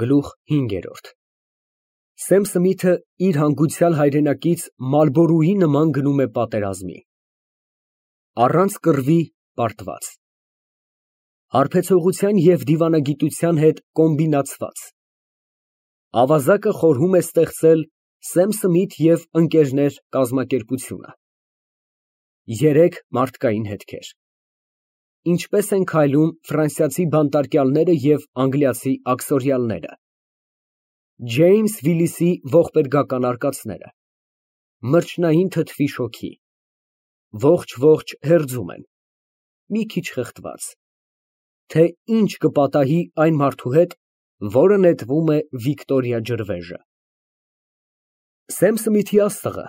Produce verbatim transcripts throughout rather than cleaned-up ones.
Գլուխ հինգերորդ Սեմ Սմիթը իր հանգուցյալ հայրենակից Մալբորուի նման գնում է պատերազմի։ Առանց կռվի պարտված։ Հարբեցողության և դիվանագիտության հետ կոմբինացված։ Ավազակը խորհում է ստեղծել Սեմ Սմիթ և ընկերներ կազմակերպությունը։ Երեք մարդկային հետքեր։ Ինչպես են քայլում ֆրանսիացի բանտարկյալները և անգլիացի աքսորիալները։ Ջեյմս Վիլիսի ողբերգական արկածները։ Մրջնային թթվի շոգի։ Ողջ֊ողջ հերձում են։ Մի քիչ խեղդված։ Թե ինչ կպատահի այն մարդու հետ, որը նետվում է Վիկտորիա ջրվեժը։ Սեմ Սմիթի աստղը,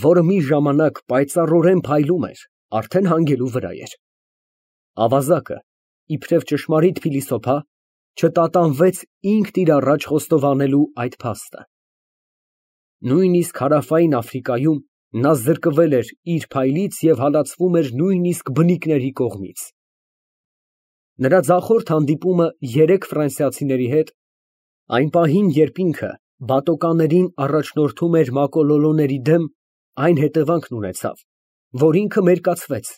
որը մի ժամանակ պայծառորեն փայլում էր, արդեն հանգելու վրա էր։ Ավազակը, իբրև ճշմարիտ փիլիսոփա, չտատանվեց ինքն իր առաջ խոստովանելու այդ փաստը։ Նույնիսկ Հարավային Աֆրիկայում նա զրկվել էր իր փայլից և հալածվում էր նույնիսկ բնիկների կողմից։ Նրա ձախորդ հանդիպումը երեք ֆրանսիացիների հետ, այն պահին, երբ ինքը բատոկաներին առաջնորդում էր մակոլոլոների դեմ, այն հետևանքն ունեցավ, որ ինքը մերկացվեց,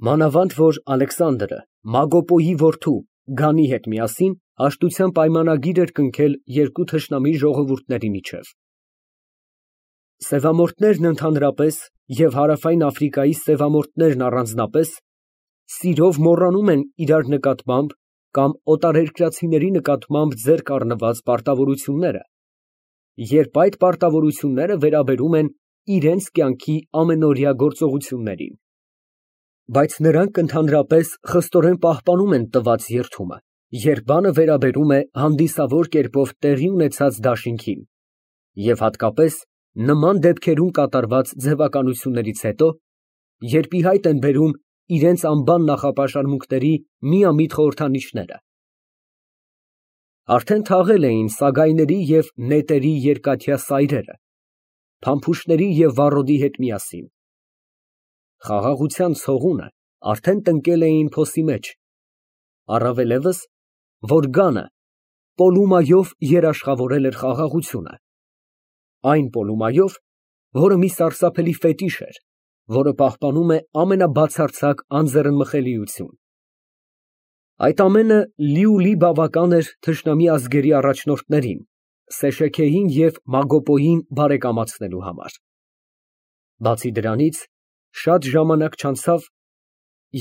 մանավանդ որ Ալեքսանդրը Մագոպոյի որդու Գանի հետ միասին հաշտության պայմանագիր էր կնքել երկու թշնամի ժողովուրդների միջև։ Սևամորթներն ընդհանրապես և Հարավային Աֆրիկայի սևամորթներն առանձնապես սիրով մոռանում են իրար նկատմամբ կամ օտարերկրացիների նկատմամբ ձեռք առնված պարտավորությունները, երբ այդ պարտավորությունները վերաբերում են իրենց կյանքի ամենօրյա գործողություններին։ Բայց նրանք ընդհանրապես խստորեն պահպանում են տված երդումը, երբ բանը վերաբերում է հանդիսավոր կերպով տեղի ունեցած դաշինքին, և հատկապես նման դեպքերում կատարված ձևականություններից հետո, երբ ի հայտ են բերում իրենց անբան նախապաշարմունքների միամիտ խորհրդանիշները։ Արդեն թաղել էին սագայների և նետերի երկաթյա սայրերը, փամփուշտների և վառոդի հետ միասին։ Խաղաղության ցողունը արդեն տնկել էին փոսի մեջ, առավելևս, որ Գանը Պոլումայով երաշխավորել էր խաղաղությունը, այն Պոլումայով, որը մի սարսափելի ֆետիշ էր, որը պահպանում է ամենաբացարձակ անձեռնմխելիություն։ Այդ ամենը լիուլի բավական էր թշնամի ազգերի առաջնորդներին Սեշեքեին և Մագոպոյին բարեկամացնելու համար։ Բացի դրանից, շատ ժամանակ չանցավ,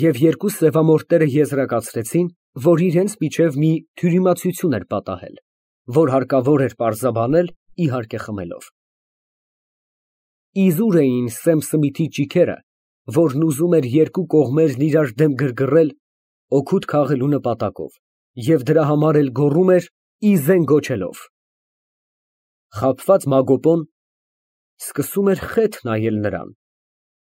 և երկու սևամորթները եզրակացրեցին, որ իրենց միջև մի թյուրիմացություն էր պատահել, որ հարկավոր էր պարզաբանել, իհարկե խմելով։ Իզուր էին Սեմ Սմիթի ճիգերը, որն ուզում էր երկու կողմերն իրար դեմ գրգռել օգուտ քաղելու նպատակով և դրա համար էլ գոռում էր ի զեն գոչելով։ Խաբված Մագոպոն սկսում էր խեթ նայել նրան,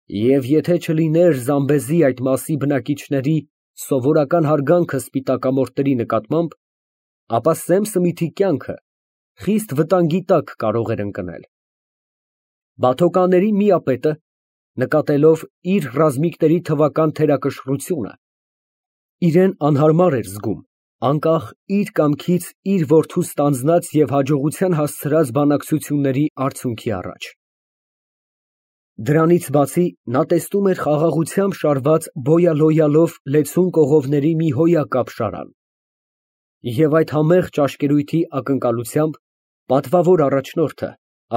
և եթե չլիներ Զամբեզի այդ մասի բնակիչների սովորական հարգանքը սպիտակամորթների նկատմամբ, ապա Սեմ Սմիթի կյանքը խիստ վտանգի տակ կարող էր ընկնել։ Բաթոկաների միապետը, նկատելով իր ռազմիկների թվական թերակշռությունը, իրան անհարմար էր զգում, անկախ իր կամքից իր որդու ստանձնած և հաջողության հասցրած բանակցությունների արդյունքի առաջ։ Դրանից բացի, նա տեսնում էր խաղաղությամբ շարված բոյալոյալով լեցուն կողովների մի հոյակապ շարան, և այդ համեղ ճաշկերույթի ակնկալությամբ պատվավոր առաջնորդը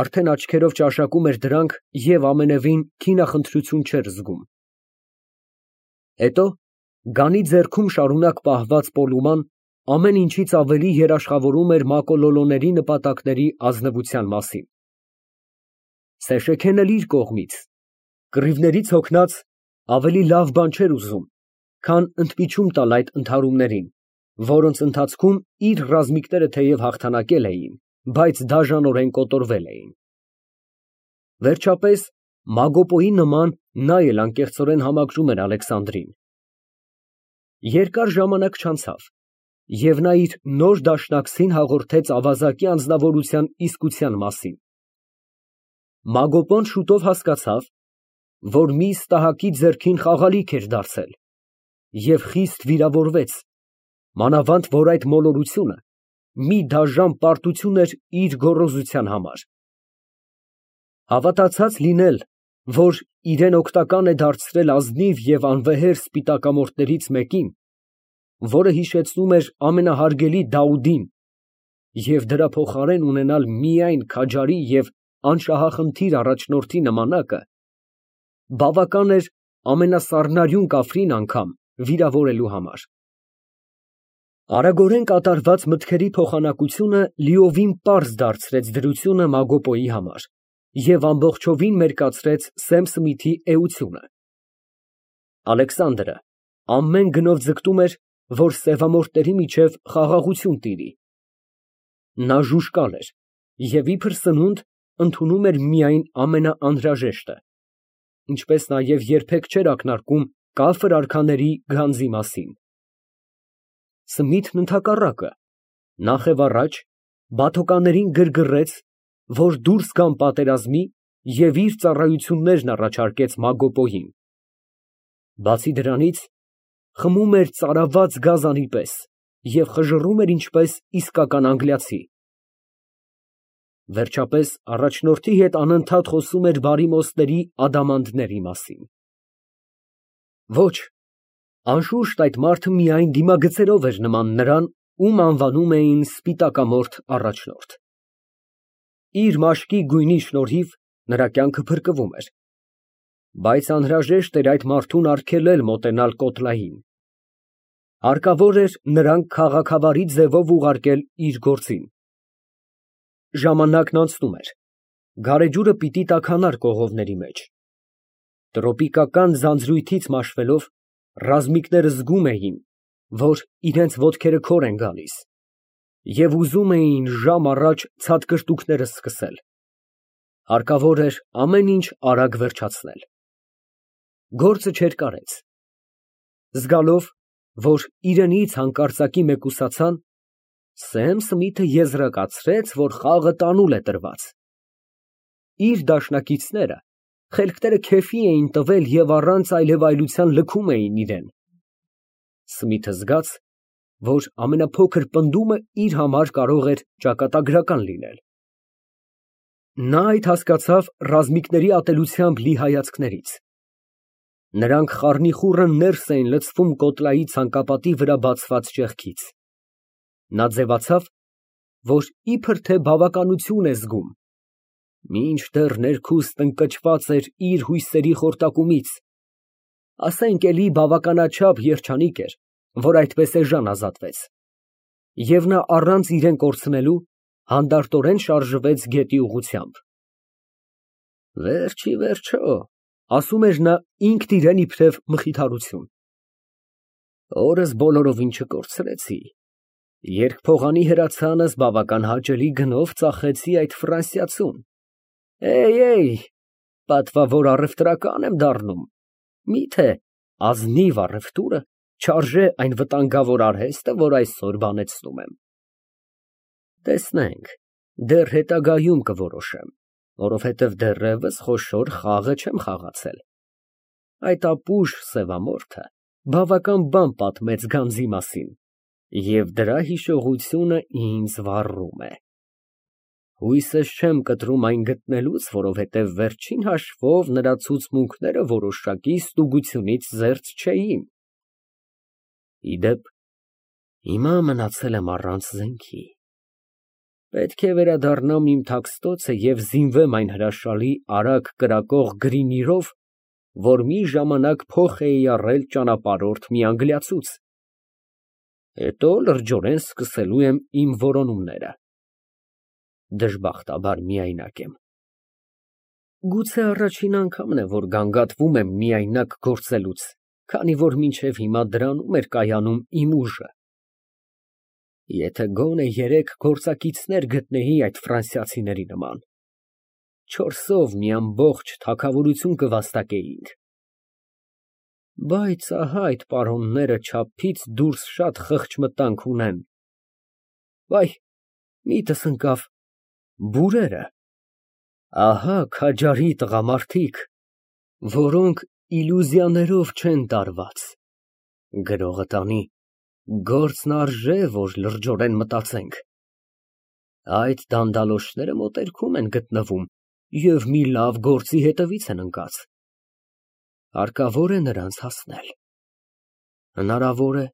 արդեն աչքերով ճաշակում էր դրանք և ամենևին քինախնդրություն չէր զգում։ Հետո Գանի ձեռքում շարունակ պահված Պոլուման ամեն ինչից ավելի երաշխավորում էր մակոլոլոների նպատակների ազնվության մասին։ Սեշեքեն էլ իր կողմից, կռիվներից հոգնած, ավելի լավ բան չէր ուզում, քան ընդմիջում տալ այդ ընդհարումներին, որոնց ընթացքում իր ռազմիկները թեև հաղթանակել էին, բայց դաժանորեն կոտորվել էին։ Վերջապես, Մագոպոյի նման նա էլ անկեղծորեն համակրում էր Ալեքսանդրին։ Երկար ժամանակ չանցավ, և նա իր նոր դաշնակցին հաղորդեց ավազակի անձնավորության իսկության մասին։ Մագոպոն շուտով հասկացավ, որ մի սպահակի ձեռքին խաղալիք էր դարձել, և խիստ վիրավորվեց, մանավանդ որ այդ մոլորությունը մի դաժան պարտություն էր իր գոռոզության համար։ Հավատացած լինել, որ իրեն օգտական է դարձրել ազնիվ և անվեհեր սպիտակամորթներից մեկին, որը հիշեցնում էր ամենահարգելի Դաուդին, և դրա փոխարեն ունենալ միայն քաջարի և անշահախնդիր առաջնորդի նմանակը, բավական էր ամենասառնարյուն կաֆրին անգամ վիրավորելու համար։ Արագորեն կատարված մտքերի փոխանակությունը լիովին պարզ դարձրեց դրությունը Մագոպոյի համար և ամբողջովին մերկացրեց Սեմ Սմիթի էությունը։ Ալեքսանդրը ամեն գնով ձգտում էր, որ սևամորթների միջև խաղաղություն տիրի։ Նա ժուժկալ էր և իբր սնունդ ընդունում էր միայն ամենաանհրաժեշտը, ինչպես նաև երբեք չէր ակնարկում կաֆր արքաների գանձի մասին։ Սմիթն ընդհակառակը, նախևառաջ, բաթոկաներին գրգռեց, որ դուրս գան պատերազմի և իր ծառայություններն առաջարկեց Մագոպոյին։ Բացի դրանից, խմում էր ծարաված գազանի պես և խժռում էր ինչպես իսկական անգլիացի։ Վերջապես, առաջնորդի հետ անընդհատ խոսում էր բարիմոստների ադամանդների մասին։ Ոչ, անշուշտ այդ մարդը միայն դիմագծերով էր նման նրան, ում անվանում էին սպիտակամորթ առաջնորդ։ Իր մաշկի գույնի շնորհիվ նրա կյանքը փրկվում էր, բայց անհրաժեշտ էր այդ մարդուն արգելել մոտենալ Կոտլային։ Հարկավոր էր նրան քաղաքավարի ձևով ուղարկել իր գործին։ Ժամանակն անցնում էր, գարեջուրը պիտի տաքանար կողովների մեջ։ Տրոպիկական ձանձրույթից մաշվելով, ռազմիկները զգում էին, որ իրենց ոտքերը քոր են գալիս, և ուզում էին ժամ առաջ ցատկրտուքները սկսել։ Հարկավոր էր ամեն ինչ արագ վերջացնել։ Գործը չէր կարեց։ Զգալով, որ իրենից հանկարծակի մեկուսացան, Սեմ Սմիթը եզրակացրեց, որ խաղը տանուլ է տրված։ Իր դաշնակիցները խելքները քեֆի էին տվել և առանց այլևայլության լքում էին իրան։ Սմիթը զգաց, որ ամենափոքր պնդումը իր համար կարող էր ճակատագրական լինել։ Նա այդ հասկացավ ռազմիկների ատելությամբ լի հայացքներից։ Նրանք խառնիխուռն ներս էին լցվում Կոտլայի ցանկապատի վրա բացված ճեղքից։ Նա ձևացավ, որ իբր թե բավականություն է զգում, մինչդեռ ներքուստ ընկճված էր իր հույսերի խորտակումից, ասենք էլի բավականաչափ երջանիկ էր, որ այդպես էժան ազատվեց, և նա առանց իրան կորցնելու հանդարտորեն շարժվեց գետի ուղղությամբ։ Վերջ ի վերջո, ասում էր նա ինքն իրան իբրև մխիթարություն, օրս բոլորովին չկորցրեցի, երկփողանի հրացանս բավական հաճելի գնով ծախեցի այդ ֆրանսիացուն։ Էй, պատվավոր առևտրական եմ դառնում, միթե ազնիվ առևտուրը չարժե այն վտանգավոր արհեստը, որ այսօր բանեցնում եմ։ Տեսնենք, դեռ հետագայում կորոշեմ, որովհետև դեռևս խոշոր խաղը չեմ խաղացել։ Այդ ապուշ սևամորթը բավական բան պատմեց գանձի մասին, և դրա հիշողությունը ինձ վառում է։ Հույսս չեմ կտրում այն գտնելուց, որովհետև վերջին հաշվով նրա ցուցմունքները որոշակի ստուգությունից զերծ չէին։ Ի դեպ, հիմա մնացել եմ առանց զենքի։ Պետք է վերադառնամ իմ թաքստոցը և զինվեմ այն հրաշալի արագ կրակող գրինիրով, որ մի ժամանակ փոխ էի առել ճանապարհորդ մի անգլիացուց։ Հետո լրջորեն սկսելու եմ իմ որոնումները։ Դժբախտաբար միայնակ եմ։ Գուցե առաջին անգամն է, որ գանգատվում եմ միայնակ գործելուց, քանի որ մինչև հիմա դրանում էր կայանում իմ ուժը։ Եթե գոնե երեք գործակիցներ գտնեի այդ ֆրանսիացիների նման, չորսով մի ամբողջ թագավորություն կվաստակեինք։ Բայց ահա այդ պարոնները չափից դուրս շատ խղճ մտանք ունեն։ Վայ, միտս ընկավ բուրերը, ահա քաջարի տղամարդիկ, որոնք իլյուզիաներով չեն տարված։ Գրողը տանի, գործն արժե, որ լրջորեն մտածենք։ Այդ դանդալոշները մոտերքում են գտնվում և մի լավ գործի հետևից են ընկած։ Հարկավոր է նրանց հասնել։ Հնարավոր է,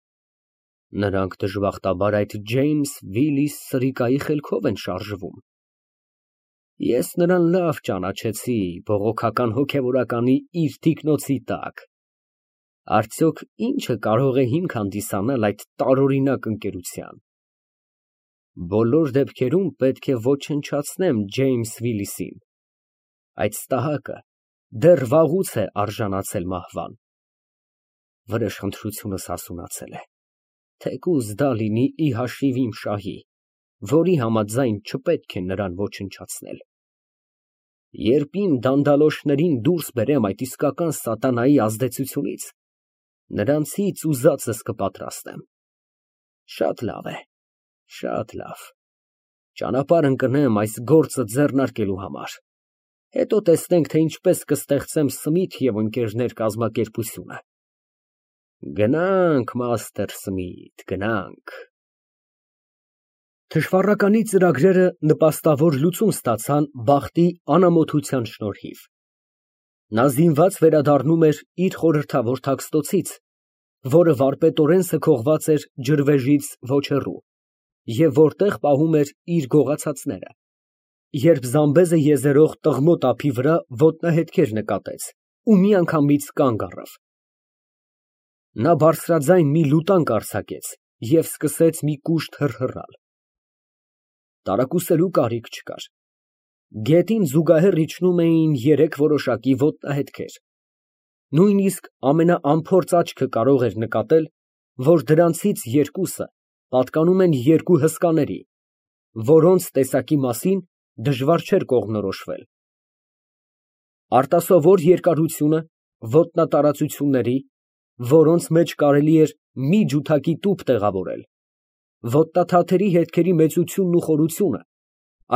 նրանք դժբախտաբար այդ Ջեյմս Վիլիս սրիկայի խելքով են շարժվում։ Ես նրան լավ ճանաչեցի բողոքական հոգևորականի իր թիկնոցի տակ։ Արդյոք ի՞նչը կարող է հիմք հանդիսանալ այդ տարօրինակ ընկերության։ Բոլոր դեպքերում պետք է ոչնչացնեմ Ջեյմս Վիլիսին։ Այդ ստահակը դեռ վաղուց է արժանացել մահվան։ Վրեժխնդրությունս հասունացել է, թեկուզ դա լինի ի հաշիվ իմ շահի, որի համաձայն չպետք է նրան ոչնչացնել։ Երբ իմ դանդալոշներին դուրս բերեմ այդ իսկական սատանայի ազդեցությունից, նրանցից ուզածս կպատրաստեմ։ Շատ լավ է, շատ լավ, ճանապարհ ընկնեմ այս գործը ձեռնարկելու համար, հետո տեսնենք, թե ինչպես կստեղծեմ Սմիթ և ընկերներ կազմակերպությունը։ Գնանք, մաստեր Սմիթ, գնանք։ Թշվառականի ծրագրերը նպաստավոր լուծում ստացան բախտի անամոթության շնորհիվ։ Նա զինված վերադառնում էր իր խորհրդավոր թաքստոցից, որը վարպետորեն սքողված էր ջրվեժից ոչ հեռու, և որտեղ պահում էր իր գողացածները, երբ Զամբեզը եզերող տղմոտ ափի վրա ոտնահետքեր նկատեց ու միանգամից կանգ առավ։ Նա բարձրաձայն մի լուտանք արձակեց և սկսեց մի կուշտ հռհռալ։ Տարակուսելու կարիք չկար։ Գետին զուգահեռ իջնում էին երեք որոշակի ոտնահետքեր։ Նույնիսկ ամենաանփորձ աչքը կարող էր նկատել, որ դրանցից երկուսը պատկանում են երկու հսկաների, որոնց տեսակի մասին դժվար չէր կողմնորոշվել։ Արտասովոր երկարությունը, ոտնատարածությունների, որոնց մեջ կարելի էր մի ջութակի տուփ տեղավորել, ոտնաթաթերի հետքերի մեծությունն ու խորությունը,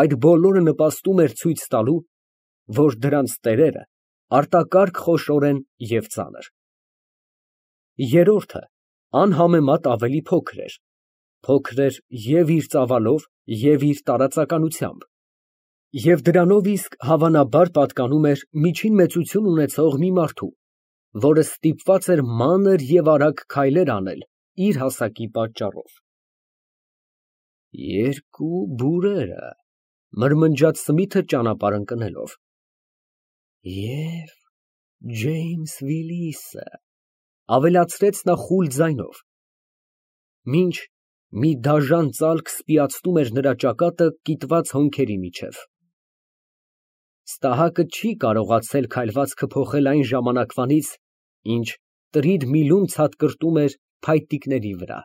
այդ բոլորը նպաստում էր ցույց տալու, որ դրանց տերերը արտակարգ խոշոր են և ծանր։ Երրորդը անհամեմատ ավելի փոքր էր, փոքր էր և իր ծավալով, և իր տարածականությամբ, և դրանով իսկ հավանաբար պատկանում էր միջին մեծություն ունեցող մի մարդու, որը ստիպված էր մանր և արագ քայլեր անել իր հասակի պատճառով։ Երկու բուրերը, մրմնջաց Սմիթը ճանապարհ ընկնելով, և Ջեյմս Վիլիսը, ավելացրեց նա խուլ ձայնով, մինչ մի դաժան ծալք սպիացնում էր նրա ճակատը կիտված հոնքերի միջև։ Ստահակը չի կարողացել քայլվածքը փոխել այն ժամանակվանից, ինչ տրիդ միլում ցատկրտում էր փայտիկների վրա։